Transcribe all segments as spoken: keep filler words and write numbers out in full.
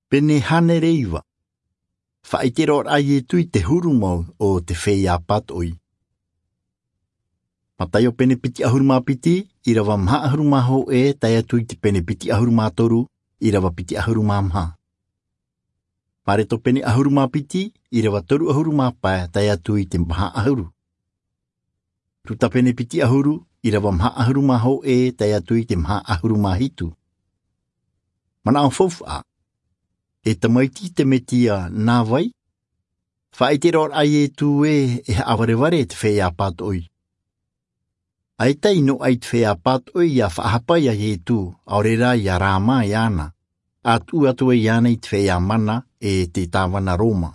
Pene hānere iva. Faʻaʻite roa a Ietu i te huru mau o te feiā pātoʻi. Mataio pene piti ʻahuru mā piti, ʻīrava maha ʻahuru mā hōʻē tae atu i te pene piti ʻahuru mā toru, ʻīrava piti ʻahuru mā maha. Mareko pene ʻahuru mā piti, ʻīrava toru ʻahuru mā pae tae atu i te maha ʻahuru. Luka pene piti ʻahuru, ʻīrava maha ʻahuru mā hōʻē tae atu i te maha ʻahuru mā hitu. Manaʻo faufaʻa. E tamaiti te Mesia nā vai? Faʻaʻite roa a Ietu ē e haʻavarevare te feiā pātoʻi. ʻAita i noaʻa i te feiā pātoʻi ʻia faʻahapa ia Ietu, ʻaore rā ʻia rāmā iāna, ʻa tuʻu atu ai iāna i te feiā mana e te tāvana Roma.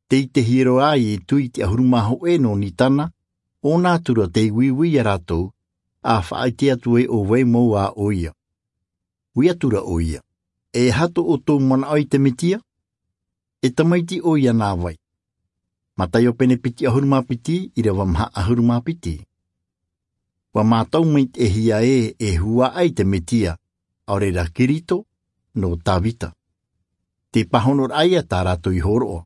Tei te hiro a Ietu i te ʻahuru mā hōʻē nō Nisana, ʻōna atura tei uiui ia rātou, ʻa faʻaʻite atu ai ʻo vai mau ā ʻoia. Ui atura ʻoia, e aha tō ʻoutou manaʻo i te Mesia? E tamaiti ʻoia nā vai? Mataio pene piti ʻahuru mā piti, ʻīrava maha ʻahuru mā piti. ʻUa mātau maitaʻihia ē e huaʻai te Mesia, ʻaore rā Kirito, nō Tavita. Te pāhonoraʻa ia tā rātou i hōroʻa.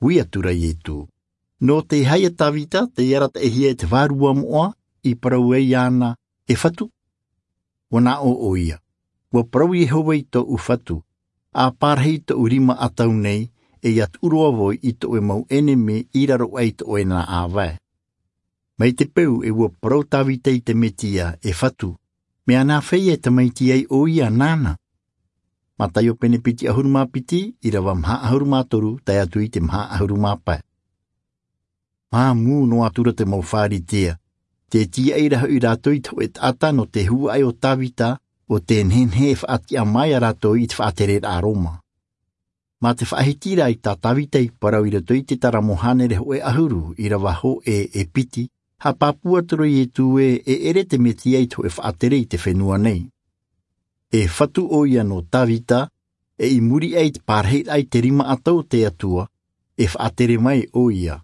Ui atura Ietu, nō te aha ia Tavita tei arataʻihia e te vārua moʻa i parau ai iāna e fatu? ʻUa nā ʻō ʻoia, ʻua parau Iehova i tōʻu fatu, ʻa pārahi i tōʻu rima ʻatau nei, e ʻia tuʻu roa vau i tō ʻoe mau ʻenemi i raro aʻe i tō ʻoe nā ʻāvae. Mai te peu e ʻua parau Tavita i te Mesia e fatu, mea nāfea e tamaiti ai ʻoia nāna? Mataio pene piti ʻahuru mā piti, ʻīrava maha ʻahuru mā toru tae atu i te maha ʻahuru mā pae. Māmū noa atura te mau Pharisea, tē tīaʻi ra hoʻi rātou i te hōʻē taʻata nō te huaʻai o Tavita, ʻo tē nehenehe e faʻatiʻa mai ia rātou i te faʻatereraʻa Roma. Mā te faʻahiti rā i tā Tavita i parau i roto i te Taramo hānere hōʻē ʻahuru, ʻīrava hōʻē e piti, haʻapāpū atura Ietu ē e ʻere te Mesia i te hōʻē faʻatere i te fenua nei. E fatu ʻoia nō Tavita, e i muri aʻe i te pārahiraʻa i te rima ʻatau o te Atua, e faʻatere mai ʻoia.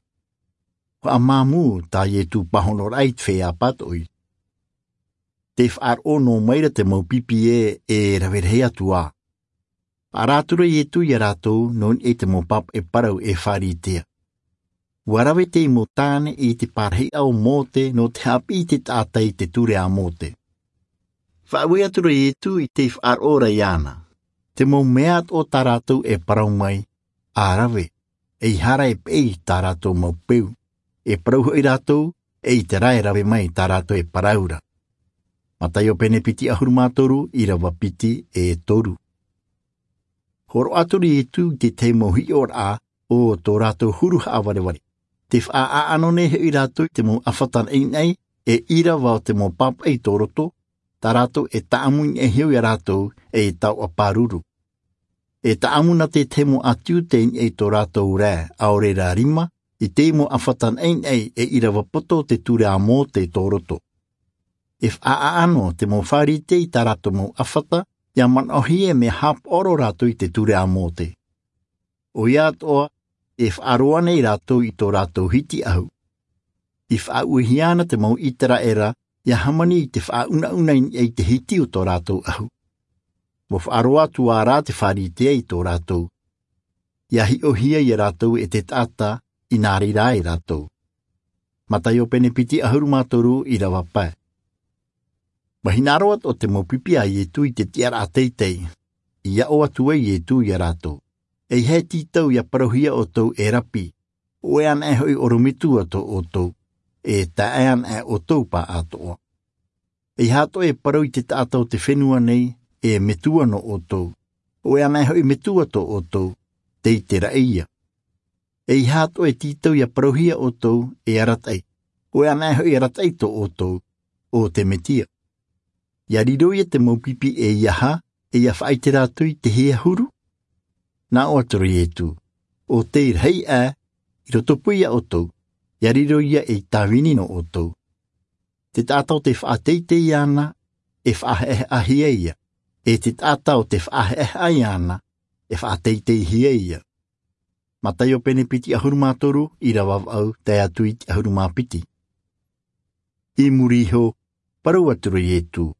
Faʻamāmū tā Ietu pāhonoraʻa i te feiā pātoʻi. Tē faʻaroʻo noa mai ra te mau pipi ē e rave rahi atu ā. Faʻaara atura Ietu ia rātou nō niʻa i te mau pāpaʻi parau e Pharisea. ʻUa rave teie mau tāne i te pārahiraʻa o Mōte nō te haʻapiʻi i te taʻata i te ture a Mōte. Faʻaue atura Ietu i tei faʻaroʻo ra iāna. Te mau mea atoʻa tā rātou e parau mai, ʻa rave, ʻeiaha ra e peʻe i tā rātou mau peu. E parau hoʻi rātou, ʻeita rā e rave mai tā rātou e parau ra. Mataio pene piti ʻahuru mā toru, ʻīrava piti e toru. Hōroʻa atura Ietu i te tahi mau hiʻoraʻa o tō rātou huru haʻavarevare. Tē faʻaʻāʻano nei hoʻi rātou i te mau ʻāfata naʻinaʻi, e ʻīrava o te mau pāpaʻi i tō roto, tā rātou e taʻamu i niʻa iho ia rātou, e taoʻa pāruru. E taʻamu nā te tahi mau ʻātiu tei niʻa i tō rātou rae, ʻaore rā rima, i te mau ʻāfata naʻinaʻi e ʻīrava poto o te ture a Mōte i tō roto. E faʻaʻāʻano te mau Pharisea i tā rātou mau ʻāfata, ʻia manaʻohia e mea haʻapaʻo roa rātou i te ture a Mōte. ʻOia atoʻa, e faʻaroa nei rātou i tō rātou hiti ʻahu. I faʻaʻuehia ana te mau ʻĪteraʻera, ʻia hāmani i te faʻaunauna i niʻa i te hiti o tō rātou ʻahu. ʻUa faʻaroa atu ā rā te Pharisea i tō rātou. ʻIa hiʻohia ia rātou e te taʻata, i nā reira ai rātou. Mataio pene piti ʻahuru mā toru, ʻīrava pae. ʻUa hinaʻaro atoʻa te mau pipi a Ietu i te tiʻaraʻa teitei. I aʻo atu ai Ietu ia rātou. ʻEiaha e tītau ʻia parauhia ʻoutou e Rapi, ʻo ʻoe anaʻe hoʻi ʻorometua tō ʻoutou, e taeaʻe anaʻe ʻoutou pāʻātoʻa. ʻEiaha atoʻa e parau i te taʻata o te fenua nei, e Metua nō ʻoutou, ʻo ʻoe anaʻe hoʻi Metua tō ʻoutou, tei te raʻi ia. ʻEiaha atoʻa e tītau ʻia parauhia ʻoutou e Arataʻi, ʻo ʻoe anaʻe hoʻi Arataʻi tō ʻoutou, ʻo te Mesia. ʻIa riro ia te mau pipi ʻeiaha, e ʻia faʻaʻite rātou i te hia huru? Nā ʻō atura Ietu, ʻo tei rahi aʻe, i rotopū ia ʻoutou, ʻia riro ia ei tāvini nō ʻoutou. Te taʻata o tē faʻateitei iāna, e faʻahaʻehaʻahia ia, e te taʻata o tē faʻahaʻehaʻa iāna, e faʻateiteihia ia. Mataio pene piti ʻahuru mā toru, ʻīrava vaʻu, tae atu i te ʻahuru mā piti. I muri iho, parau atura Ietu,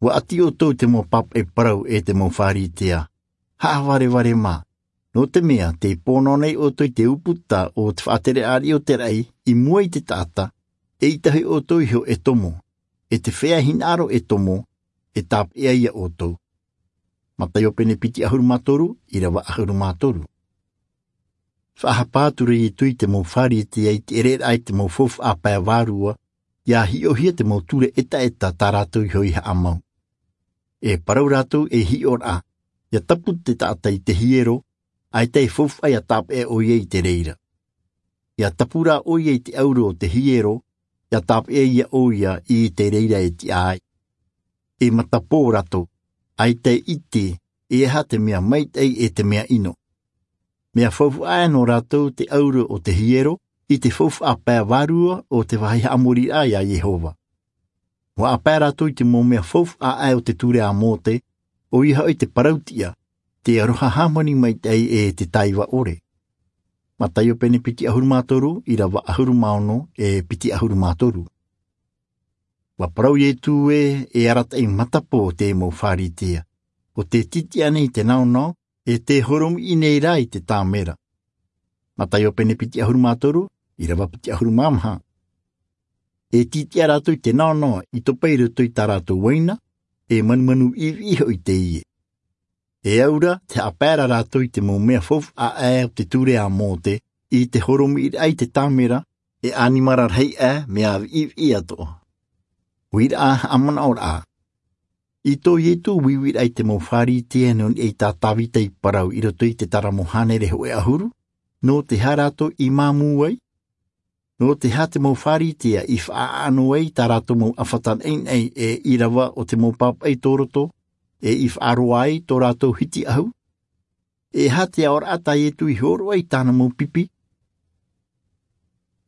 ʻUa ʻati ʻoutou i te mau pāpaʻi parau e te mau Pharisea. Haʻavarevare mā, nō te mea te pōnao nei ʻoutou i te ʻūputa o te faʻatere ariʻi o te raʻi i mua i te taʻata, eʻita hoʻi ʻoutou iho e tomo, e te feiā hinaʻaro e tomo, e tāpeʻa ia ʻoutou. Mataio pene piti ʻahuru mā toru, ʻirava ʻahuru mā toru. Faʻahapa atu ra iesu i te mau pharisea i te ʻereraʻa i te mau faufaʻa pae vārua, ia hiʻohia te mau ture ʻetaʻeta tā rātou iho i haʻamau. E parau rātou e hiʻoraʻa, ia tapu te taʻata i te hiero, ʻaita e faufaʻa ia tāpeʻa ʻoia i te reira. Ia tapu rā ʻoia i te ʻauro o te hiero, ia tāpeʻa ia ʻoia i te reira e tiʻa ai. E matapō rātou, ʻaita e ʻite e aha te mea maitaʻi e te mea ʻino. Mea faufaʻa nō rātou te ʻauro o te hiero i te faufaʻa pae vārua o te vāhi haʻamoriraʻa iā iehova. Ua haʻapae rātou i te mau mea faufaʻa o te ture a mose, ʻoia hoʻi te parautiʻa, te aroha hāmani maitaʻi e te taiva ʻore. Mataio pene piti ʻahuru mā toru, ʻirava ʻahuru mā ono e piti ʻahuru mā toru. Ua parau iesu ē, e arataʻi matapō te mau pharisea, ʻo te tītiʻa nei i te naonao, e te horomiʻi nei rā i te tāmera. Mataio pene piti ʻahuru mā toru, ʻirava piti ʻahuru mā maha. E tītiʻa rātou i te naonao i topa i roto i tā rātou uaina, e manumanu viʻiviʻi hoʻi teie. E au ra te haʻapae ra rātou i te mau mea faufaʻa o te ture a mose, i te horomiʻiraʻa i te tāmera, e ʻanimara rahi ʻā, mea viʻiviʻi atoʻa. Uiraʻa haʻamanaʻoraʻa. I tō iesu uiuiraʻa i te mau pharisea nō niʻa i tā davida i parau i roto i te taramo hānere hōʻē ʻahuru, nō te aha rātou i māmū ai? Nō te aha te mau pharisea i faʻaʻano ai tā rātou mau ʻāfata naʻinaʻi e ʻirava o te mau pāpaʻi tōroto, e i faʻaroa ai tō rātou hiti ʻahu? E aha te aʻoraʻa tā iesu i hōroʻa i tāna mau pipi,